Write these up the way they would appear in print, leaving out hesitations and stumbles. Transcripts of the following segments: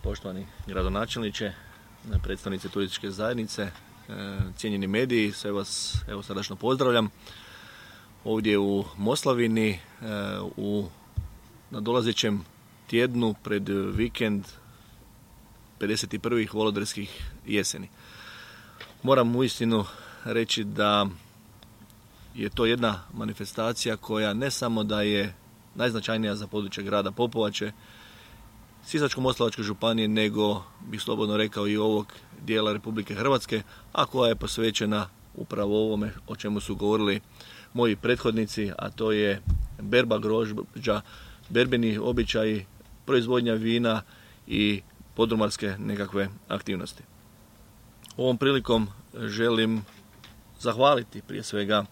poštovani gradonačelniče, predstavnici turističke zajednice, cijenjeni mediji, sve vas srdačno pozdravljam. Ovdje u Moslavini, u nadolazećem tjednu pred vikend 51. Volodarskih jeseni. Moram uistinu reći da je to jedna manifestacija koja ne samo da je najznačajnija za područje grada Popovače, Sisačko-moslavačke županije, nego bih slobodno rekao i ovog dijela Republike Hrvatske, a koja je posvećena upravo ovome o čemu su govorili moji prethodnici, a to je berba grožđa, berbeni običaji, proizvodnja vina i podrumarske nekakve aktivnosti. Ovom prilikom želim zahvaliti prije svega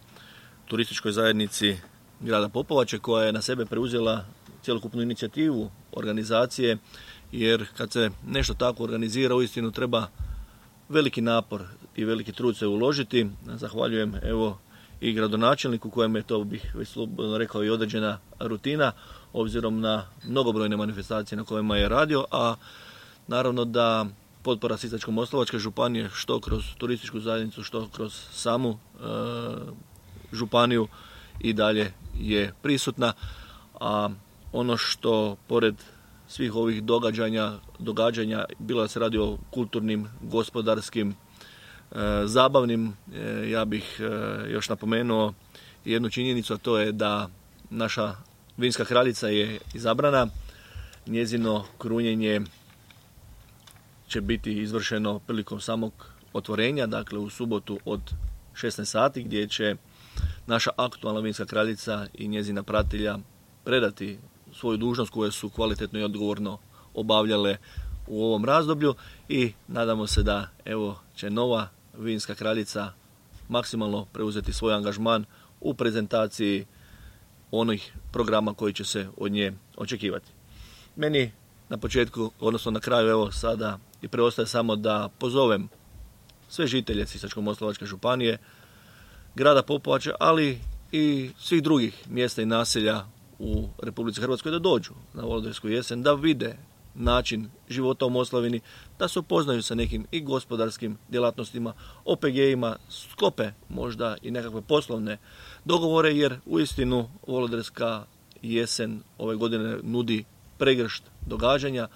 turističkoj zajednici grada Popovače, koja je na sebe preuzela cjelokupnu inicijativu organizacije, jer kad se nešto tako organizira, uistinu treba veliki napor i veliki trud se uložiti. Zahvaljujem i gradonačelniku, kojem je to, bih već slobodno rekao, i određena rutina, obzirom na mnogobrojne manifestacije na kojima je radio, a naravno da potpora Sisačko-moslavačke županije, što kroz turističku zajednicu, što kroz samu županiju, i dalje je prisutna. A ono što pored svih ovih događanja, bilo da se radi o kulturnim, gospodarskim, zabavnim, ja bih još napomenuo jednu činjenicu, a to je da naša vinska kraljica je izabrana. Njezino krunjenje će biti izvršeno prilikom samog otvorenja, dakle u subotu od 16 sati, gdje će naša aktualna vinska kraljica i njezina pratilja predati svoju dužnost koju su kvalitetno i odgovorno obavljale u ovom razdoblju, i nadamo se da će nova vinska kraljica maksimalno preuzeti svoj angažman u prezentaciji onih programa koji će se od nje očekivati. Meni na početku, odnosno na kraju, sada i preostaje samo da pozovem sve žitelje Sisačko-moslavačke županije, grada Popovače, ali i svih drugih mjesta i naselja u Republici Hrvatskoj da dođu na Volodarsku jesen, da vide način života u Moslavini, da se upoznaju sa nekim i gospodarskim djelatnostima, OPG-ima, sklope možda i nekakve poslovne dogovore, jer uistinu Volodarska jesen ove godine nudi pregršt događanja,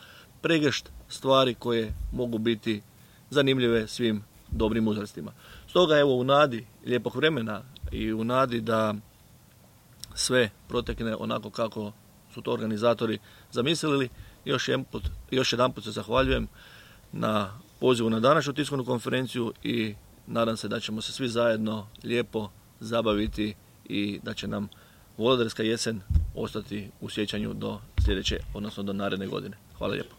pregršt stvari koje mogu biti zanimljive svim dobrim uzrastima. Stoga u nadi lijepog vremena i u nadi da sve protekne onako kako su to organizatori zamislili, još jedanput se zahvaljujem na pozivu na današnju tiskovnu konferenciju i nadam se da ćemo se svi zajedno lijepo zabaviti i da će nam Volodarska jesen ostati u sjećanju do sljedeće, odnosno do naredne godine. Hvala lijepo.